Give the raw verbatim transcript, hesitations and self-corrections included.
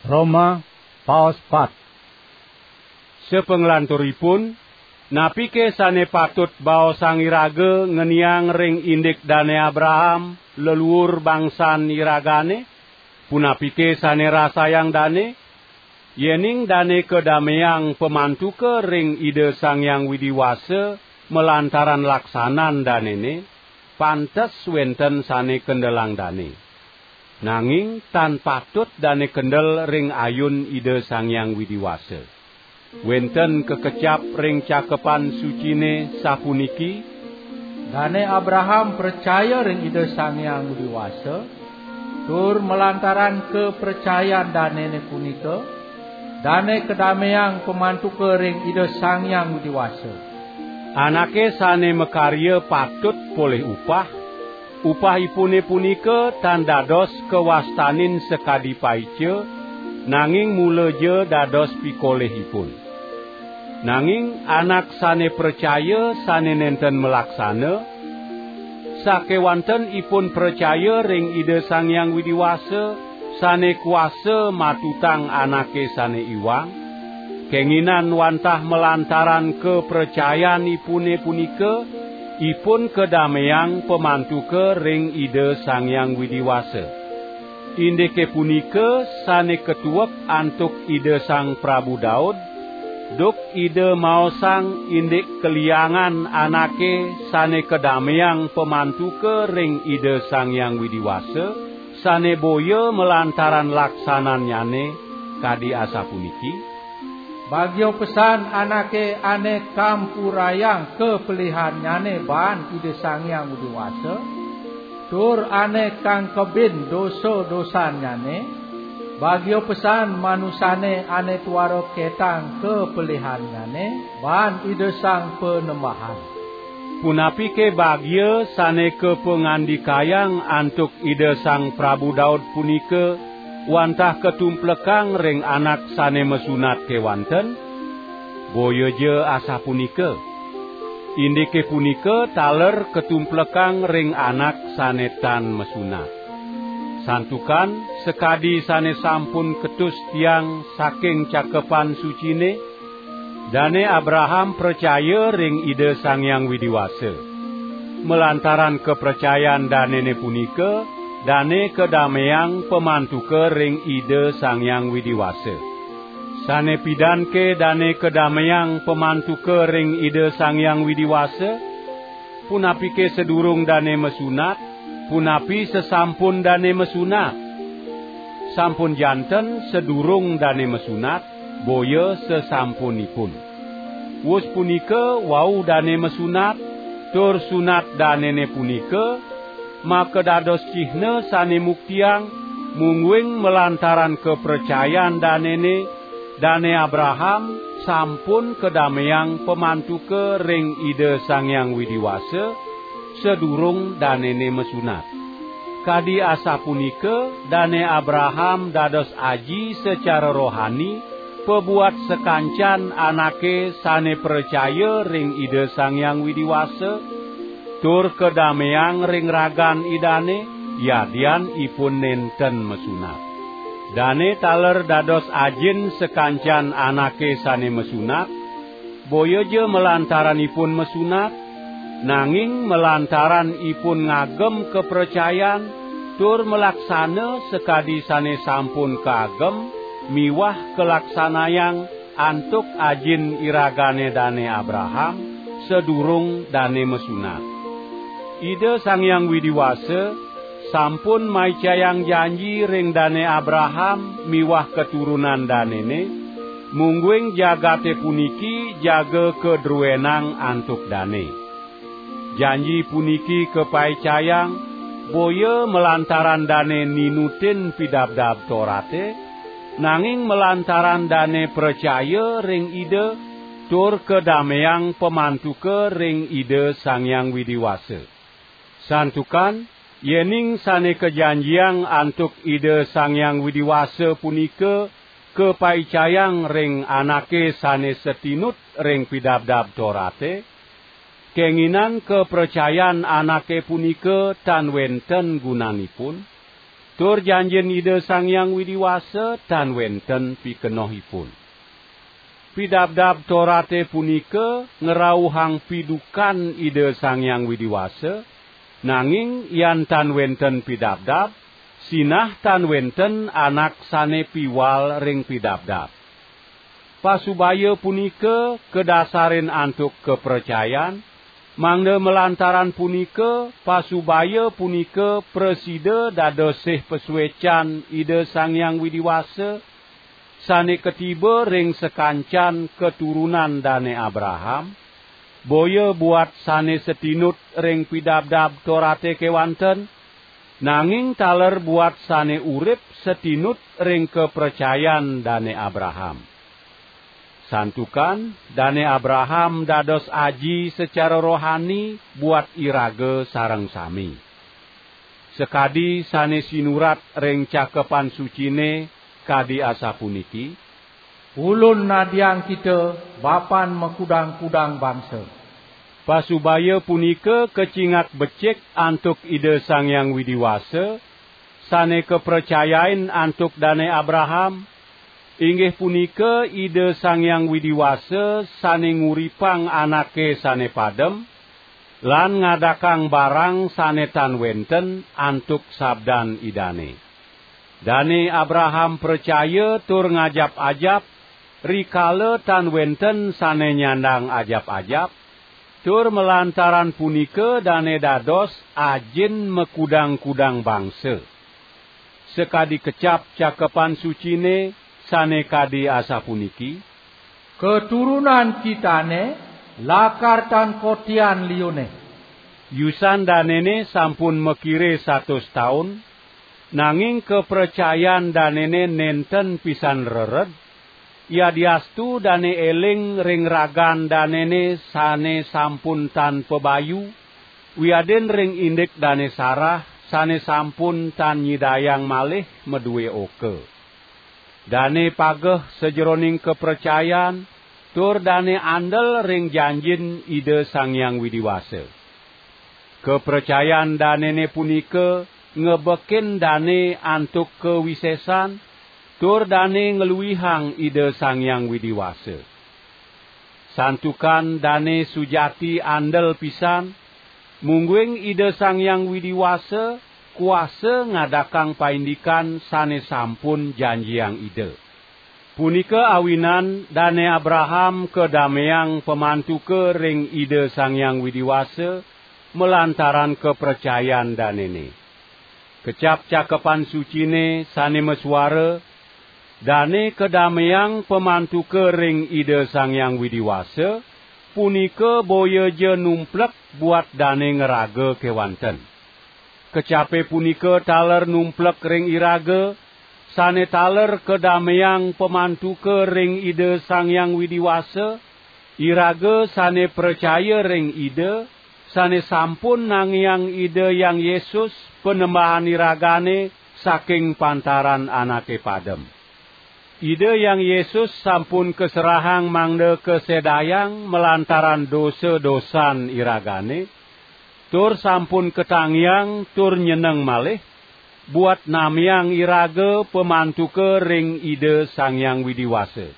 Roma, paos pat. Sapanglanturipun, napike sane patut baosang iraga ngeniang ring indik Dane Abraham, leluur bangsan iragane? Punapike sane rasayang dane? Yening dane kadameang pamantuka ring Ida Sang Hyang Widi Wasa malantaran laksanan danene, pantes wenten sane kendelang dane. Nanging tan patut dane kendel ring ayun Ida Sang Hyang Widi Wasa. Wenten kakecap ring Cakepan Sucine sapuniki: Dane Abraham pracaya ring Ida Sang Hyang Widi Wasa, tur malantaran kapracayan danene punika, dane kadameang pamantuka ring Ida Sang Hyang Widi Wasa. Anake sane makarya patut polih upah, upahipune punika tan dados kawastanin sakadi paica, nanging mulaja dados pikolihipun. Nanging anak sane pracaya sane nenten malaksana, sakewanten ipun pracaya ring Ida Sang Hyang Widi Wasa, sane kuasa matutang anake sane iwang, kenginan wantah malantaran kapracayanipune punika, ipun kadameang pamantuka ring Ida Sang Hyang Widi Wasa. Indike punika sane katuek antuk Ida Sang Prabu Daud, duk Ida maosang indik kaliangan anake sane kadameang pamantuka ring Ida Sang Hyang Widi Wasa, sane boya malantaran laksanannyane, kadi asapuniki: Bagia pesan anake ane kampurayang kapelihannyane baan Ida Sang Hyang Widi Wasa, tur ane kangkebin dosa-dosannyane. Bagia pesan manusane ane tuara ketang kapelihannyane baan Ida Sang Panembahan. Punapike bagia sane kapangandikayang antuk Ida Sang Prabu Daud punika wantah katumplekang ring anak sane masunat kewanten? Boyaja asapunika. Indike punika taler katumplekang ring anak sane tan masunat. Santukan sakadi sane sampun ketus tiang saking Cakepan Sucine, Dane Abraham pracaya ring Ida Sang Hyang Widi Wasa. Malantaran kapracayan danene punika, dane kadameang pamantuka ring Ida Sang Hyang Widi Wasa. Sane pidanke dane kadameang pamantuka ring Ida Sang Hyang Widi Wasa? Punapike sadurung dane masunat, punapi sasampun dane masunat? Sampun janten sadurung dane masunat, boya sasampunipun. Wus punika wau dane masunat, tur sunat danene punika makadados cihna sane muktiang, mungguing malantaran kapracayan danene, Dane Abraham sampun kadameang pamantuka ring Ida Sang Hyang Widi Wasa, sadurung danene masunat. Kadi asapunika, Dane Abraham dados aji sacara rohani pabuat sakancan anake sane pracaya ring Ida Sang Hyang Widi Wasa, tur kadameang ring ragan Idane, yadian ipun nenten masunat. Dane taler dados ajin sakancan anake sane masunat, boyaja malantaran ipun masunat, nanging malantaran ipun ngagem kapracayan tur malaksana sakadi sane sampun kaagem miwah kalaksanayang antuk ajin iragane Dane Abraham, sadurung dane masunat. Ida Sang Hyang Widi Wasa sampun maicayang janji ring Dane Abraham miwah katurunan danene, mungguing jagate puniki jaga kadruenang antuk dane. Janji puniki kapaicayang boya malantaran dane ninutin Pidabdab Torate, nanging malantaran dane pracaya ring Ida tur kadameang pamantuka ring Ida Sang Hyang Widi Wasa. Santukan yening sane kajanjiang antuk Ida Sang Hyang Widi Wasa punika kapaicayang ring anake sane satinut ring Pidabdab Torate, kenginan kapracayan anake punika tan wenten gunanipun. Tur janjin Ida Sang Hyang Widi Wasa tan wenten pikenohipun. Pidabdab Torate punika ngrauhang pidukan Ida Sang Hyang Widi Wasa, nanging yan tan wenten pidabdab, sinah tan wenten anak sane piwal ring pidabdab. Pasubaya punika kadasarin antuk kapracayan, mangda malantaran punika pasubaya punika prasida dados sih pasuecan Ida Sang Hyang Widi Wasa, sane katiba ring sakancan katurunan Dane Abraham, boya buat sane satinut ring pidabdab Torate kewanten, nanging taler buat sane urip satinut ring kapracayan Dane Abraham. Santukan Dane Abraham dados aji sacara rohani buat iraga sareng sami. Sakadi sane sinurat ring Cakepan Sucine kadi asapuniki, "Ulun nadiang kita bapan makudang-kudang bangsa." Pasubaya punika kacingak becik antuk Ida Sang Hyang Widi Wasa, sane kapracayain antuk Dane Abraham, inggih punika Ida Sang Hyang Widi Wasa sane nguripang anake sane padem, lan ngadakang barang sane tan wenten antuk sabdan Idane. Dane Abraham pracaya tur ngajap-ajap, rikala tan wenten sane nyandang ajap-ajap, tur malantaran punika dane dados ajin makudang-kudang bangsa. Sakadi kecap Cakepan Sucine sane kadi asapuniki, "Katurunan kitane lakar tan kotian liune." Yusan danene sampun makire satus taun, nanging kapracayan danene nenten pisan rered, yadiastu dane eling ring ragan danene sane sampun tan pabayu, wiadin ring indik dane Sarah sane sampun tan nyidayang malih madue oka. Dane pageh sajeroning kapracayan, tur dane andel ring janjin Ida Sang Hyang Widi Wasa. Kapracayan danene punika ngebekin dane antuk kawisesan, tur dane ngluihang Ida Sang Hyang Widi Wasa. Santukan dane sujati andel pisan, mungguing Ida Sang Hyang Widi Wasa kuasa ngadakang paindikan sane sampun janjiang Ida. Punika awinan Dane Abraham kadameang pamantuka ring Ida Sang Hyang Widi Wasa malantaran kapracayan danene. Kecap Cakepan Sucine sane masuara, "Dane kadameang pamantuka ring Ida Sang Hyang Widi Wasa, punika boya ja numplek buat dane ngraga kewanten." Kecape punika taler numplek ring iraga, sane taler kadameang pamantuka ring Ida Sang Hyang Widi Wasa, iraga sane pracaya ring Ida, sane sampun nangiang Ida Hyang Yesus, Panembahan iragane, saking pantaran anake padem. Ida Hyang Yesus sampun kaserahang mangda kasedayang malantaran dosa-dosan iragane, tur sampun katangiang tur nyeneng malih, buat namiang iraga pamantuka ring Ida Sang Hyang Widi Wasa.